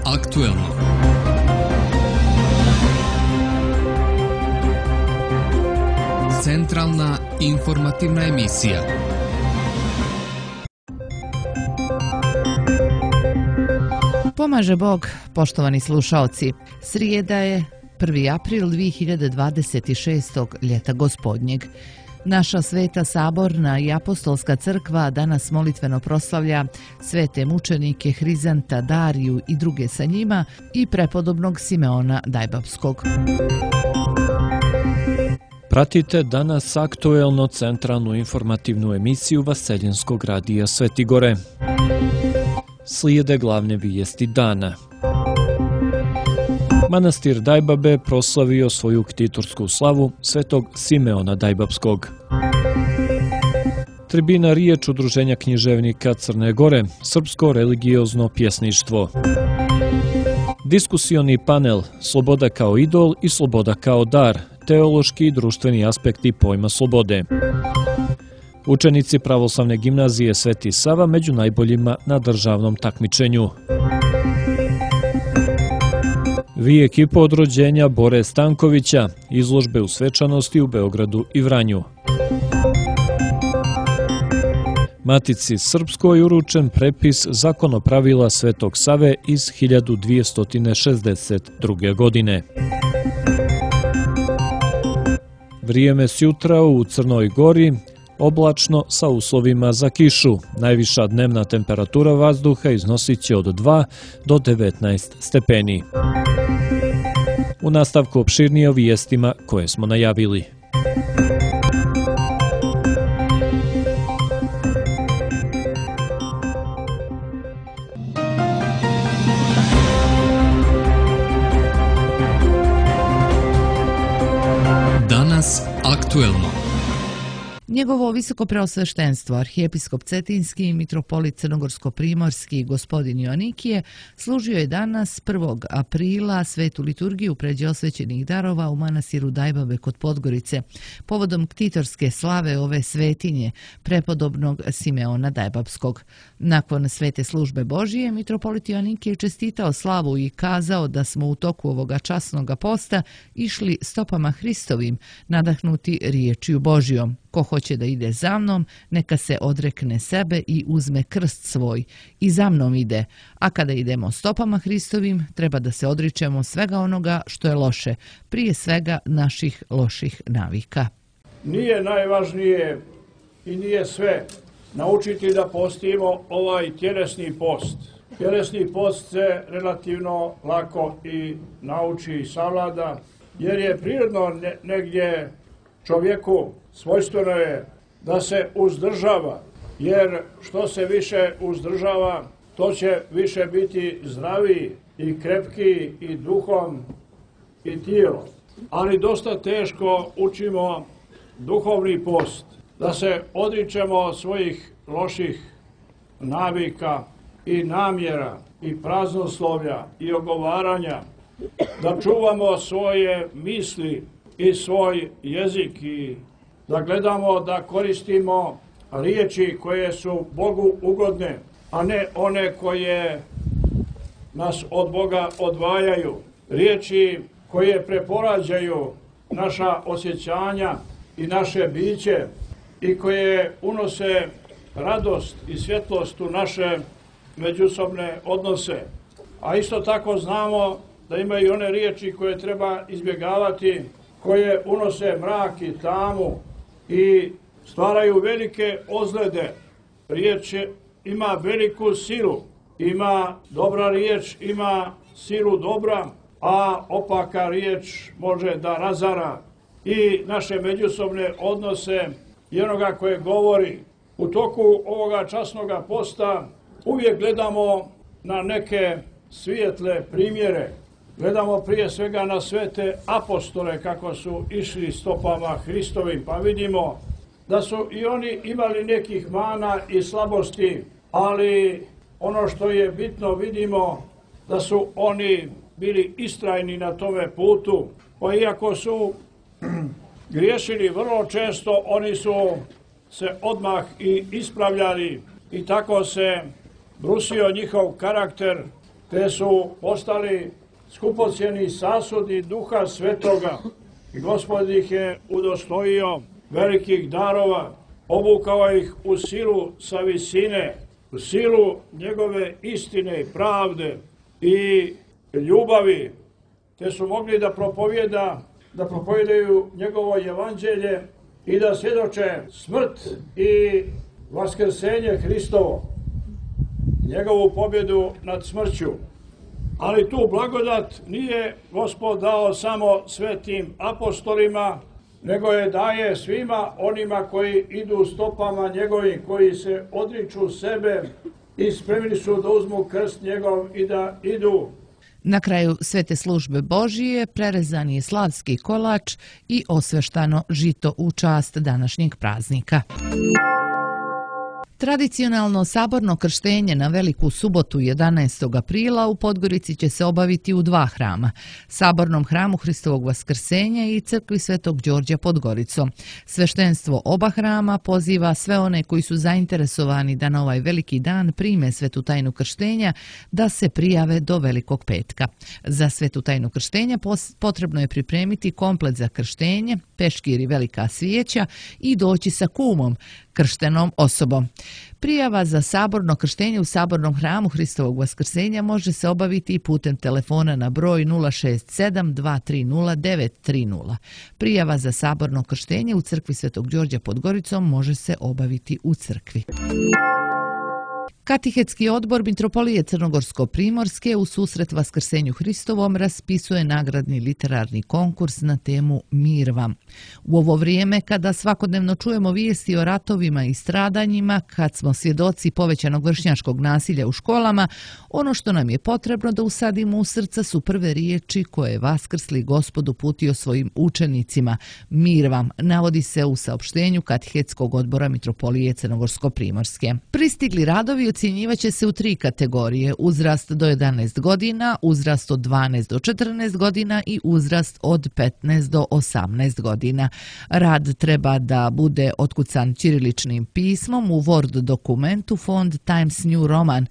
aktuelno. Centralna informativna emisija. Pomaže Bog, poštovani slušaoci. Srijeda je 1. april 2026. ljeta gospodnjeg. Naša sveta saborna i apostolska crkva danas molitveno proslavlja svete mučenike Hrizanta, Dariju i druge sa njima i prepodobnog Simeona Dajbapskog. Pratite danas aktuelno centralnu informativnu emisiju Vaseljenskog radija Svetigore. Slijede glavne vijesti dana. Manastir Dajbabe proslavio svoju ktitorsku slavu svetog Simeona Dajbapskog. Tribina riječ Udruženja književnika Crne Gore, srpsko religiozno pjesništvo. Diskusioni panel Sloboda kao idol i sloboda kao dar, teološki i društveni aspekti pojma slobode. Učenici pravoslavne gimnazije Sveti Sava među najboljima na državnom takmičenju. Vi ekipa od rođenja Bore Stankovića, izložbe u svečanosti u Beogradu i Vranju. Matici Srpskoj uručen prepis zakonopravila Svetog Save iz 1262. godine. Vrijeme sjutra u Crnoj Gori, oblačno sa uslovima za kišu. Najviša dnevna temperatura vazduha iznosit će od 2 do 19 stepeni. U nastavku opširnije o vijestima koje smo najavili. Danas aktuelno. Njegovo visoko preosveštenstvo, arhijepiskop Cetinski i mitropolit Crnogorsko-primorski gospodin Joanikije služio je danas 1. aprila svetu liturgiju pređe osvećenih darova u manastiru Dajbabe kod Podgorice, povodom ktitorske slave ove svetinje, prepodobnog Simeona Dajbapskog. Nakon svete službe Božije, mitropolit Joanikije čestitao slavu i kazao da smo u toku ovoga časnoga posta išli stopama Hristovim, nadahnuti riječju Božijom. Ko hoće da ide za mnom, neka se odrekne sebe i uzme krst svoj i za mnom ide. A kada idemo stopama Hristovim, treba da se odričemo svega onoga što je loše, prije svega naših loših navika. Nije najvažnije i nije sve naučiti da postimo ovaj tjelesni post. Tjelesni post se relativno lako i nauči i savlada, jer je prirodno negdje čovjeku svojstveno je da se uzdržava, jer što se više uzdržava, to će više biti zdraviji i krepkiji i duhom i tijelom. Ali dosta teško učimo duhovni post, da se odričemo svojih loših navika i namjera i praznoslovlja i ogovaranja, da čuvamo svoje misli i svoj jezik i da gledamo da koristimo riječi koje su Bogu ugodne, a ne one koje nas od Boga odvajaju. Riječi koje preporađaju naša osjećanja i naše biće i koje unose radost i svjetlost u naše međusobne odnose. A isto tako znamo da ima i one riječi koje treba izbjegavati, koje unose mrak i tamu i stvaraju velike ozljede. Riječ ima veliku silu, ima dobra riječ, ima silu dobra, a opaka riječ može da razara i naše međusobne odnose i onoga koje govori. U toku ovoga časnoga posta uvijek gledamo na neke svijetle primjere. Gledamo prije svega na svete apostole kako su išli stopama Hristovim, pa vidimo da su i oni imali nekih mana i slabosti, ali ono što je bitno vidimo da su oni bili istrajni na tome putu, pa iako su griješili vrlo često, oni su se odmah i ispravljali i tako se brusio njihov karakter te su postali skupocjeni sasudi Duha Svetoga i Gospod ih je udostojio velikih darova, obukao ih u silu sa visine, u silu njegove istine i pravde i ljubavi, te su mogli da propovijedaju njegovo evanđelje i da svjedoče smrt i vaskrsenje Hristovo, njegovu pobjedu nad smrću. Ali tu blagodat nije Gospod dao samo svetim apostolima, nego je daje svima onima koji idu stopama njegovim, koji se odriču sebe i spremni su da uzmu krst njegov i da idu. Na kraju svete službe Božije prerezan je slavski kolač i osveštano žito u čast današnjeg praznika. Tradicionalno saborno krštenje na Veliku subotu 11. aprila u Podgorici će se obaviti u dva hrama, Sabornom hramu Hristovog vaskrsenja i crkvi Svetog Đorđa pod Goricom. Sveštenstvo oba hrama poziva sve one koji su zainteresovani da na ovaj veliki dan prime svetu tajnu krštenja da se prijave do Velikog petka. Za svetu tajnu krštenja potrebno je pripremiti komplet za krštenje, peškir i velika svijeća i doći sa kumom, krštenom osobom. Prijava za saborno krštenje u Sabornom hramu Hristovog vaskrsenja može se obaviti i putem telefona na broj 067 230 930. Prijava za saborno krštenje u crkvi Svetog Đorđa pod Goricom može se obaviti u crkvi. Katehetski odbor Mitropolije Crnogorsko-Primorske u susret Vaskrsenju Hristovom raspisuje nagradni literarni konkurs na temu Mir vam. U ovo vrijeme kada svakodnevno čujemo vijesti o ratovima i stradanjima, kad smo svjedoci povećanog vršnjačkog nasilja u školama, ono što nam je potrebno da usadimo u srca su prve riječi koje je vaskrsli Gospod uputio svojim učenicima. Mir vam, navodi se u saopštenju Katehetskog odbora Mitropolije Crnogorsko-Primorske. Pristigli radovi ocjenjivaće se u 3 kategorije: uzrast do 11 godina, uzrast od 12 do 14 godina i uzrast od 15 do 18 godina. Rad treba da bude otkucan ćiriličnim pismom u Word dokumentu font Times New Roman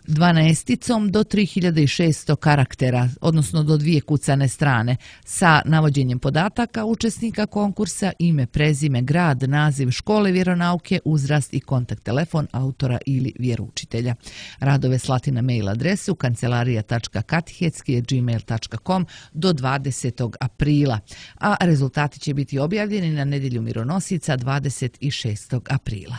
12 do 3600 karaktera, odnosno do 2 kucane strane, sa navođenjem podataka učesnika konkursa, ime, prezime, grad, naziv škole vjeronauke, uzrast i kontakt telefon autora ili vjeroučitelja. Radove slati na mail adresu kancelarija.katehetski@gmail.com do 20. aprila, a rezultati će biti objavljeni na nedjelju Mironosica 26. aprila.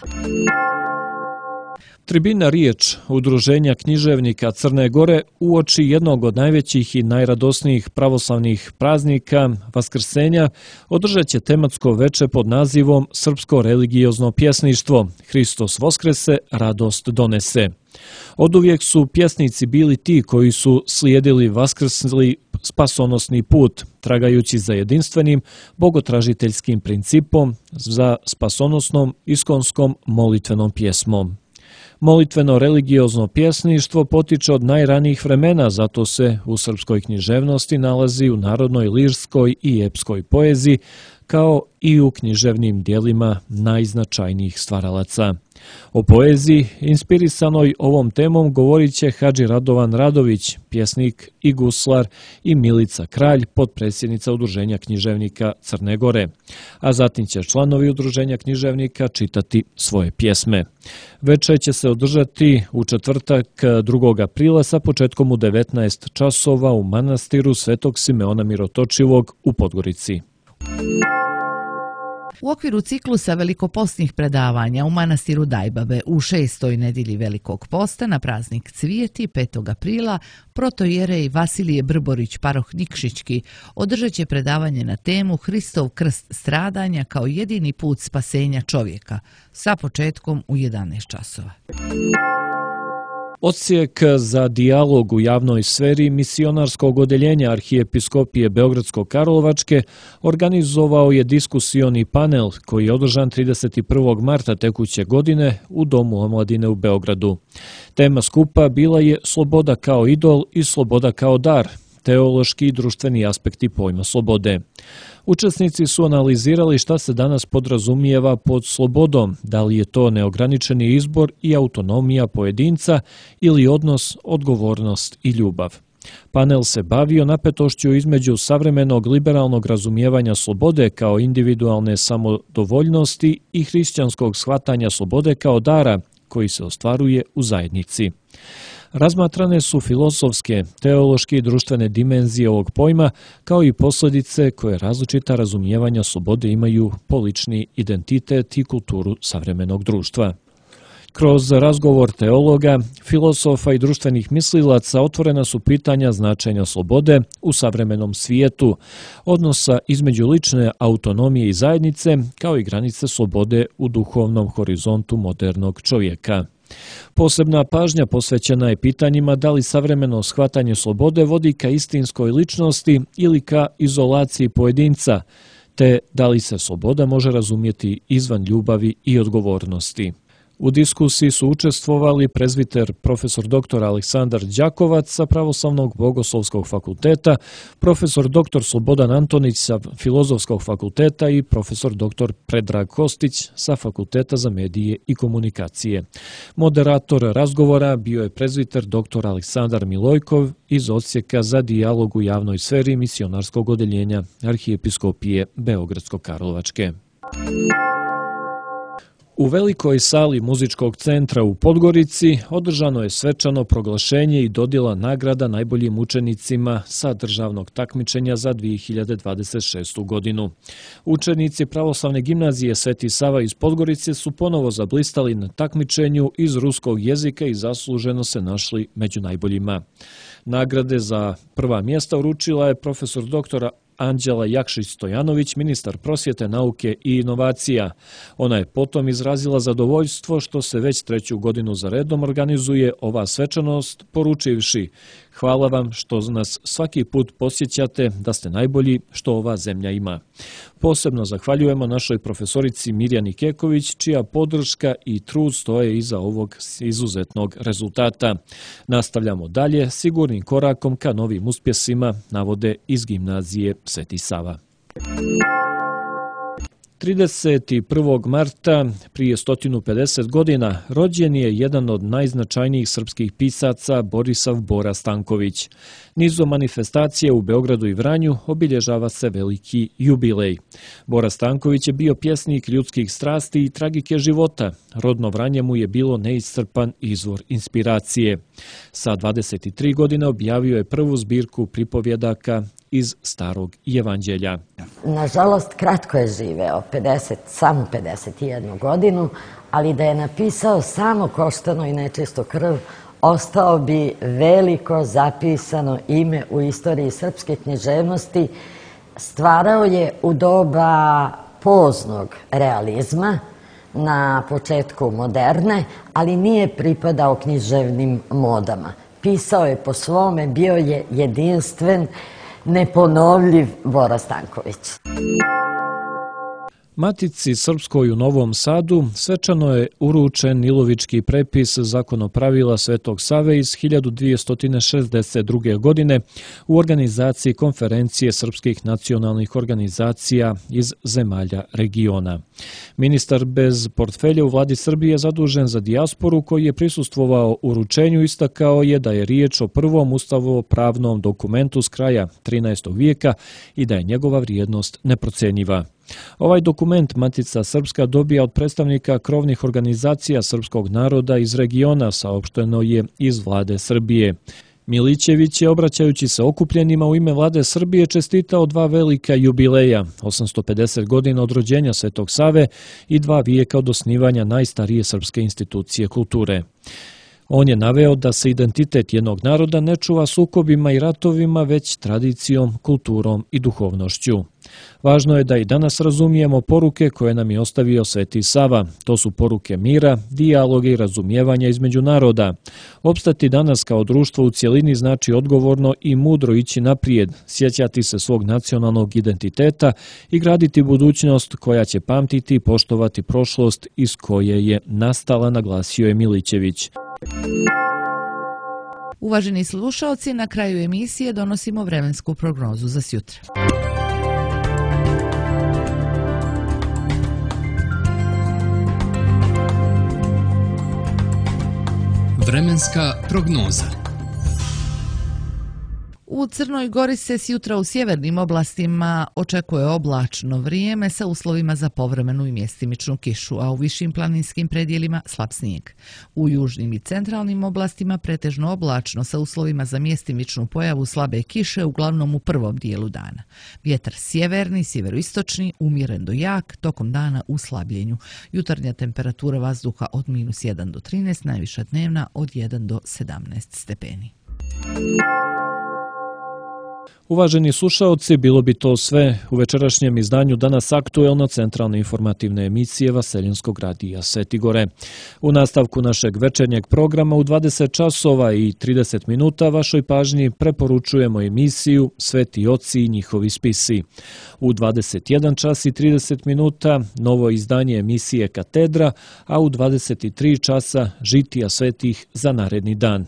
Tribina Riječ, Udruženja književnika Crne Gore, uoči jednog od najvećih i najradosnijih pravoslavnih praznika, Vaskrsenja, održat će tematsko veče pod nazivom Srpsko religiozno pjesništvo Hristos Voskrese, radost donese. Oduvijek su pjesnici bili ti koji su slijedili vaskrsli spasonosni put, tragajući za jedinstvenim bogotražiteljskim principom, za spasonosnom iskonskom molitvenom pjesmom. Molitveno religiozno pjesništvo potiče od najranijih vremena, zato se u srpskoj književnosti nalazi u narodnoj lirskoj i epskoj poeziji, kao i u književnim dijelima najznačajnijih stvaralaca. O poeziji, inspirisanoj ovom temom, govorit će Hadži Radovan Radović, pjesnik i guslar, i Milica Kralj, potpredsjednica Udruženja književnika Crne Gore. A zatim će članovi Udruženja književnika čitati svoje pjesme. Večer će se održati u četvrtak 2. aprila sa početkom u 19 časova u manastiru Svetog Simeona Mirotočivog u Podgorici. U okviru ciklusa velikopostnih predavanja u manastiru Dajbabe u 6. nedjelji Velikog posta na praznik Cvijeti 5. aprila protojerej Vasilije Brborić paroh Nikšićki održat će predavanje na temu Hristov krst stradanja kao jedini put spasenja čovjeka sa početkom u 11 časova. Odsjek za dijalog u javnoj sferi misionarskog odeljenja Arhijepiskopije Beogradsko-Karlovačke organizovao je diskusioni panel koji je održan 31. marta tekuće godine u Domu omladine u Beogradu. Tema skupa bila je Sloboda kao idol i sloboda kao dar, teološki i društveni aspekti pojma slobode. Učesnici su analizirali šta se danas podrazumijeva pod slobodom, da li je to neograničeni izbor i autonomija pojedinca ili odnos, odgovornost i ljubav. Panel se bavio napetošću između savremenog liberalnog razumijevanja slobode kao individualne samodovoljnosti i hrišćanskog shvatanja slobode kao dara koji se ostvaruje u zajednici. Razmatrane su filozofske, teološke i društvene dimenzije ovog pojma, kao i posljedice koje različita razumijevanja slobode imaju po lični identitet i kulturu savremenog društva. Kroz razgovor teologa, filozofa i društvenih mislilaca otvorena su pitanja značenja slobode u savremenom svijetu, odnosa između lične autonomije i zajednice, kao i granice slobode u duhovnom horizontu modernog čovjeka. Posebna pažnja posvećena je pitanjima da li savremeno shvatanje slobode vodi ka istinskoj ličnosti ili ka izolaciji pojedinca, te da li se sloboda može razumjeti izvan ljubavi i odgovornosti. U diskusiji su učestvovali prezbiter profesor dr. Aleksandar Đakovac sa Pravoslavnog bogoslovskog fakulteta, profesor dr. Slobodan Antonić sa Filozofskog fakulteta i profesor dr. Predrag Kostić sa Fakulteta za medije i komunikacije. Moderator razgovora bio je prezbiter dr. Aleksandar Milojkov iz Odsjeka za dijalog u javnoj sferi misionarskog odeljenja Arhijepiskopije Beogradsko-Karlovačke. U velikoj sali muzičkog centra u Podgorici održano je svečano proglašenje i dodjela nagrada najboljim učenicima sa državnog takmičenja za 2026. godinu. Učenici Pravoslavne gimnazije Sveti Sava iz Podgorice su ponovo zablistali na takmičenju iz ruskog jezika i zasluženo se našli među najboljima. Nagrade za prva mjesta uručila je profesor doktora Anđela Jakšić-Stojanović, ministar prosvjete, nauke i inovacija. Ona je potom izrazila zadovoljstvo što se već 3. godinu za redom organizuje ova svečanost, poručivši: hvala vam što nas svaki put posjećate da ste najbolji što ova zemlja ima. Posebno zahvaljujemo našoj profesorici Mirjani Keković, čija podrška i trud stoje iza ovog izuzetnog rezultata. Nastavljamo dalje sigurnim korakom ka novim uspjesima, navode iz gimnazije Sveti Sava. 31. marta prije 150 godina rođen je jedan od najznačajnijih srpskih pisaca Borisav Bora Stanković. Nizom manifestacije u Beogradu i Vranju obilježava se veliki jubilej. Bora Stanković je bio pjesnik ljudskih strasti i tragike života. Rodno Vranje mu je bilo neiscrpan izvor inspiracije. Sa 23 godine objavio je prvu zbirku pripovjedaka iz Starog evanđelja. Nažalost, kratko je živeo, samo 51 godinu, ali da je napisao samo Koštano i nečistu krv, ostao bi veliko zapisano ime u istoriji srpske književnosti. Stvarao je u doba poznog realizma, na početku moderne, ali nije pripadao književnim modama. Pisao je po svome, bio je jedinstven, neponovljiv Bora Stanković. Matici Srpskoj u Novom Sadu svečano je uručen Ilovički prepis zakonopravila Svetog Save iz 1262. godine u organizaciji Konferencije srpskih nacionalnih organizacija iz zemalja regiona. Ministar bez portfelja u vladi Srbije zadužen za dijasporu, koji je prisustvovao uručenju, istakao je da je riječ o prvom ustavno-pravnom dokumentu s kraja 13. vijeka i da je njegova vrijednost neprocjenjiva. Ovaj dokument Matica Srpska dobija od predstavnika krovnih organizacija srpskog naroda iz regiona, saopšteno je iz vlade Srbije. Milićević je, obraćajući se okupljenima u ime vlade Srbije, čestitao 2 velika jubileja, 850 godina od rođenja Svetog Save i 2 vijeka od osnivanja najstarije srpske institucije kulture. On je naveo da se identitet jednog naroda ne čuva sukobima i ratovima, već tradicijom, kulturom i duhovnošću. Važno je da i danas razumijemo poruke koje nam je ostavio Sveti Sava. To su poruke mira, dijaloga i razumijevanja između naroda. Opstati danas kao društvo u cjelini znači odgovorno i mudro ići naprijed, sjećati se svog nacionalnog identiteta i graditi budućnost koja će pamtiti i poštovati prošlost iz koje je nastala, naglasio je Milićević. Uvaženi slušaoci, na kraju emisije donosimo vremensku prognozu za sjutra. Vremenska prognoza. U Crnoj Gori se sjutra u sjevernim oblastima očekuje oblačno vrijeme sa uslovima za povremenu i mjestimičnu kišu, a u višim planinskim predjelima slab snijeg. U južnim i centralnim oblastima pretežno oblačno sa uslovima za mjestimičnu pojavu slabe kiše, uglavnom u prvom dijelu dana. Vjetar sjeverni, sjeveroistočni, umjeren do jak, tokom dana u slabljenju. Jutarnja temperatura vazduha od -1 do 13, najviša dnevna od 1 do 17 stepeni. Uvaženi slušaoci, bilo bi to sve u večerašnjem izdanju Danas aktuelno centralne informativne emisije Vaseljenskog radija Sveti Gore. U nastavku našeg večernjeg programa u 20 časova i 30 minuta vašoj pažnji preporučujemo emisiju Sveti oci i njihovi spisi. U 21 čas i 30 minuta novo izdanje emisije Katedra, a u 23 časa žitija svetih za naredni dan.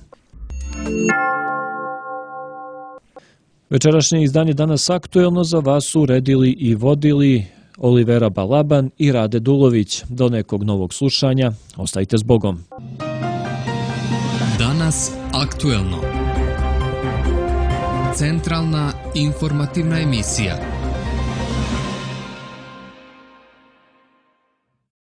Večerašnje izdanje Danas aktuelno za vas su uredili i vodili Olivera Balaban i Rade Dulović. Do nekog novog slušanja, ostajte s Bogom. Danas aktuelno. Centralna informativna emisija.